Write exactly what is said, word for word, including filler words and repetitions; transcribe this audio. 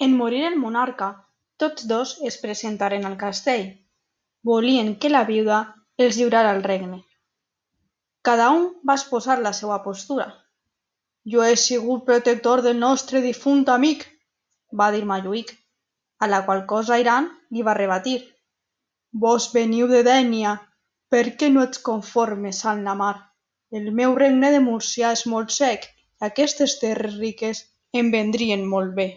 En morir el monarca, tots dos es presentaren al castell. Volien que la viuda els lliurara el regne. Cada un va exposar la seva postura. «Jo he sigut protector del nostre difunt amic», va dir Montjuïc, a la qual cosa Iran li va rebatir. «Vós veniu de Dénia, per què no ets conformes amb la mar? El meu regne de Múrcia és molt sec i aquestes terres riques em vendrien molt bé».